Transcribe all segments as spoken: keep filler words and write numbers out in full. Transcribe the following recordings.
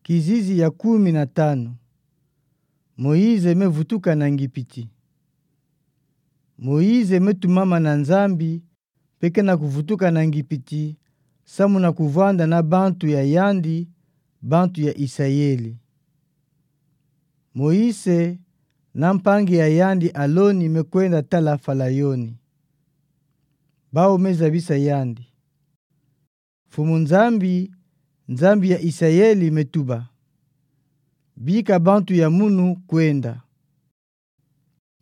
Kizizi ya kumi na tanu. Moïse mevutuka na Ngipiti. Moïse metumama na Nzambi, mpe kena kuvutuka na Ngipiti, samu na kuvwanda na bantu ya yandi, bantu ya Isayeli. Moïse na mpangi ya yandi Aloni mekwenda tala Falayoni. Bawu mezabisa yandi: Mfumu Nzambi, Nzambi ya Isayeli metuba: Bika bantu ya munu kwenda.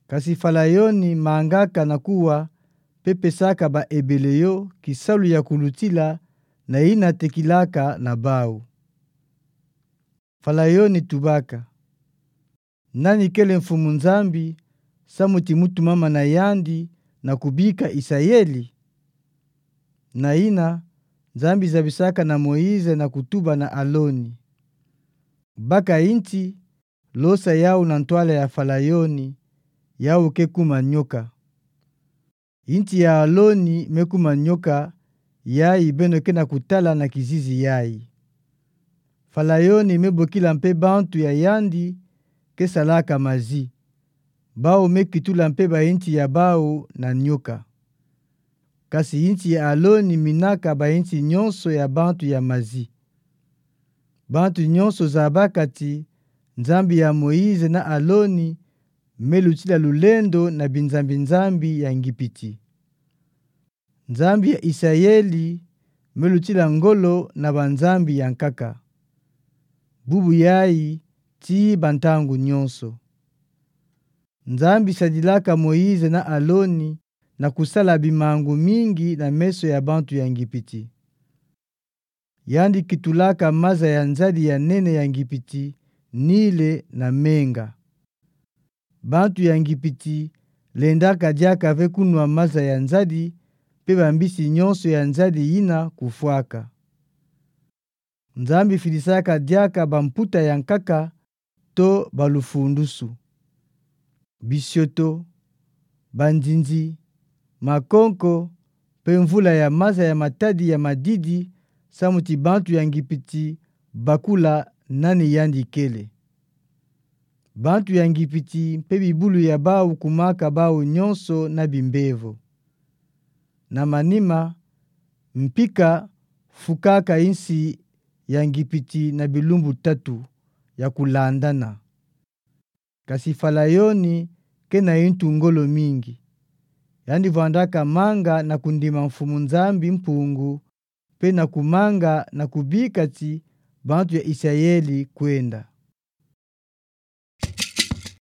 Kasi Falayoni mangaka na kuwa mpe pesaka ba Ebele yo kisalu ya kulutila na yina tekilaka na bawu. Falayoni tubaka: Nani kele Mfumu Nzambi, samu ti mutumama na yandi na kubika Isayeli? Na yina, Nzambi zabisaka na Moïse na kutuba na Aloni: Baka yinti, losa yawu na ntwala ya Falayoni, yawu ke kuma nyoka. Yinti ya Aloni mekuma nyoka, yayi beno kena kutala na kizizi yayi. Falayoni mebokila mpe bantu ya yandi kesalaka mazi. Bawu mekitula mpe bayinti ya bawu na nyoka. Kasi yinti ya Aloni minaka bayinti nyonso ya bantu ya mazi. Bantu nyonso zabaka ti Nzambi ya Moïse na Aloni melutila lulendo na binzambi-nzambi ya Ngipiti. Nzambi ya Isayeli melutila ngolo na banzambi ya nkaka. Bubu yayi tii bantangu nyonso. Nzambi sadilaka Moïse na Aloni na kusala bimangu mingi na meso ya bantu ya Ngipiti. Yandi kitulaka maza ya nzadi ya nene ya Ngipiti, Nile, na menga. Bantu ya Ngipiti lendaka diaka ve kunwa maza ya nzadi, mpe bambisi nyonso ya nzadi yina kufwaka. Nzambi fidisaka diaka bamputa ya nkaka to balufundusu. Bisioto, bandindi, makonko, mpe mvula ya maza ya matadi ya madidi, samu ti bantu ya Ngipiti bakula nani yandi kele. Bantu ya Ngipiti mpe bibulu ya bawu kumaka bawu nyonso na bimbevo. Na manima, mpika fukaka insi ya Ngipiti na bilumbu tatu ya kulandana. Kasi Falayoni kena yintu ngolo mingi. Yandi vwandaka manga na kundima Mfumu Nzambi Mpungu, mpe na kumanga na kubika ti bantu ya Isayeli kwenda.